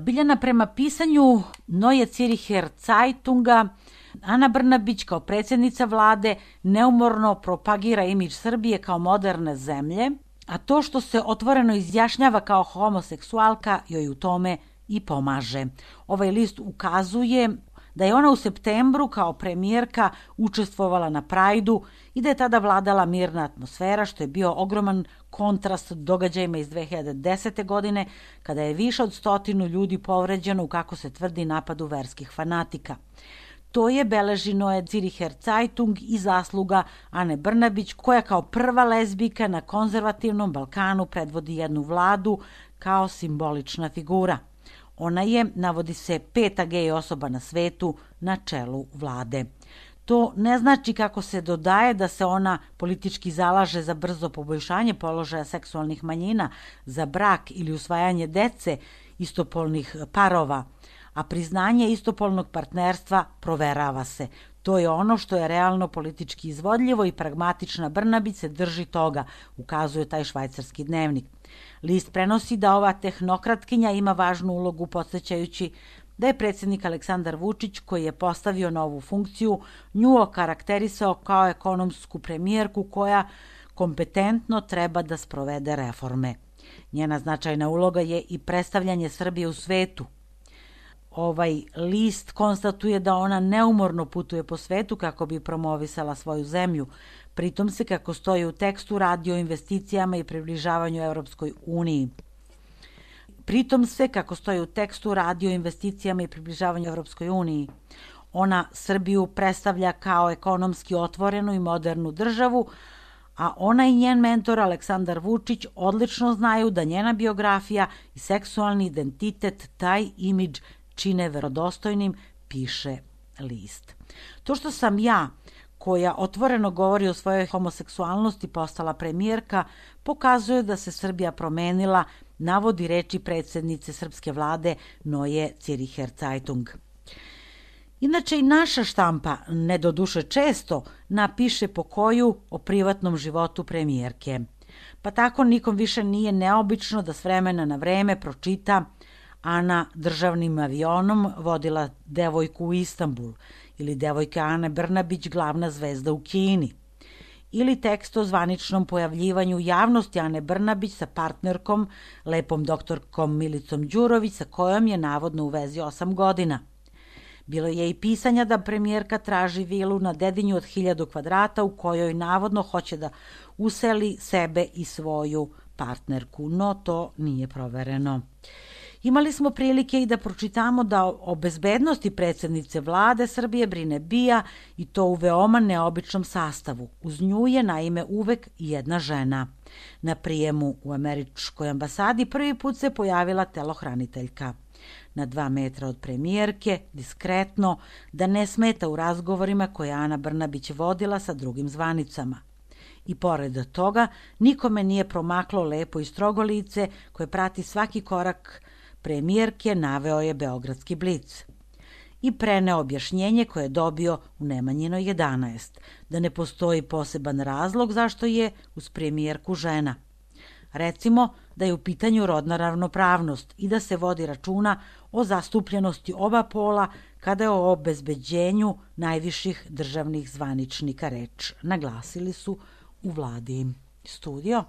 Biljana, prema pisanju Neue Zürcher Zeitunga, Ana Brnabić kao predsjednica vlade neumorno propagira imidž Srbije kao moderne zemlje, a to što se otvoreno izjašnjava kao homoseksualka joj u tome i pomaže. Ovaj list ukazuje da je ona u septembru kao premijerka učestvovala na Prajdu i da je tada vladala mirna atmosfera, što je bio ogroman kontrast događajima iz 2010. godine, kada je više od 100 ljudi povređeno u, kako se tvrdi, napadu verskih fanatika. To je, beleži Neue Zürcher Zeitung, i zasluga Ane Brnabić, koja kao prva lezbijka na konzervativnom Balkanu predvodi jednu vladu kao simbolična figura. Ona je, navodi se, 5. gej osoba na svetu na čelu vlade. To ne znači, kako se dodaje, da se ona politički zalaže za brzo poboljšanje položaja seksualnih manjina, za brak ili usvajanje dece istopolnih parova, a priznanje istopolnog partnerstva proverava se. To je ono što je realno politički izvodljivo i pragmatična Brnabić se drži toga, ukazuje taj švajcarski dnevnik. List prenosi da ova tehnokratkinja ima važnu ulogu, podsjećajući da je predsjednik Aleksandar Vučić, koji je postavio novu funkciju, nju okarakterisao kao ekonomsku premijerku koja kompetentno treba da sprovede reforme. Njena značajna uloga je i predstavljanje Srbije u svetu. Ovaj list konstatuje da ona neumorno putuje po svetu kako bi promovisala svoju zemlju. Pritom se, kako stoji u tekstu, radi o investicijama i približavanju Evropskoj uniji. Ona Srbiju predstavlja kao ekonomski otvorenu i modernu državu, a ona i njen mentor Aleksandar Vučić odlično znaju da njena biografija i seksualni identitet taj imidž čine verodostojnim, piše list. To što sam ja, koja otvoreno govori o svojoj homoseksualnosti, postala premijerka, pokazuje da se Srbija promenila, navodi reči predsjednice srpske vlade Neue Zürcher Zeitung. Inače i naša štampa, ne doduše često, napiše pokoju o privatnom životu premijerke. Pa tako nikom više nije neobično da s vremena na vreme pročita: Ana državnim avionom vodila devojku u Istanbul, ili devojka Ane Brnabić glavna zvezda u Kini, ili tekst o zvaničnom pojavljivanju javnosti Ane Brnabić sa partnerkom, lepom doktorkom Milicom Đurović, sa kojom je navodno u vezi 8 godina. Bilo je i pisanja da premijerka traži vilu na Dedinju od 1000 kvadrata u kojoj navodno hoće da useli sebe i svoju partnerku, no to nije provereno. Imali smo prilike i da pročitamo da o bezbednosti predsjednice vlade Srbije brine BIA, i to u veoma neobičnom sastavu. Uz nju je naime uvek jedna žena. Na prijemu u američkoj ambasadi prvi put se pojavila telohraniteljka. Na 2 metra od premijerke, diskretno, da ne smeta u razgovorima koje Ana Brnabić vodila sa drugim zvanicama. I pored toga, nikome nije promaklo lepo i strogo lice koje prati svaki korak premijerke, naveo je Beogradski blic. I preneo objašnjenje koje je dobio u Nemanjinoj 11, da ne postoji poseban razlog zašto je uz premijerku žena. Recimo da je u pitanju rodna ravnopravnost i da se vodi računa o zastupljenosti oba pola kada je o obezbeđenju najviših državnih zvaničnika reč, naglasili su u vladi. Studio.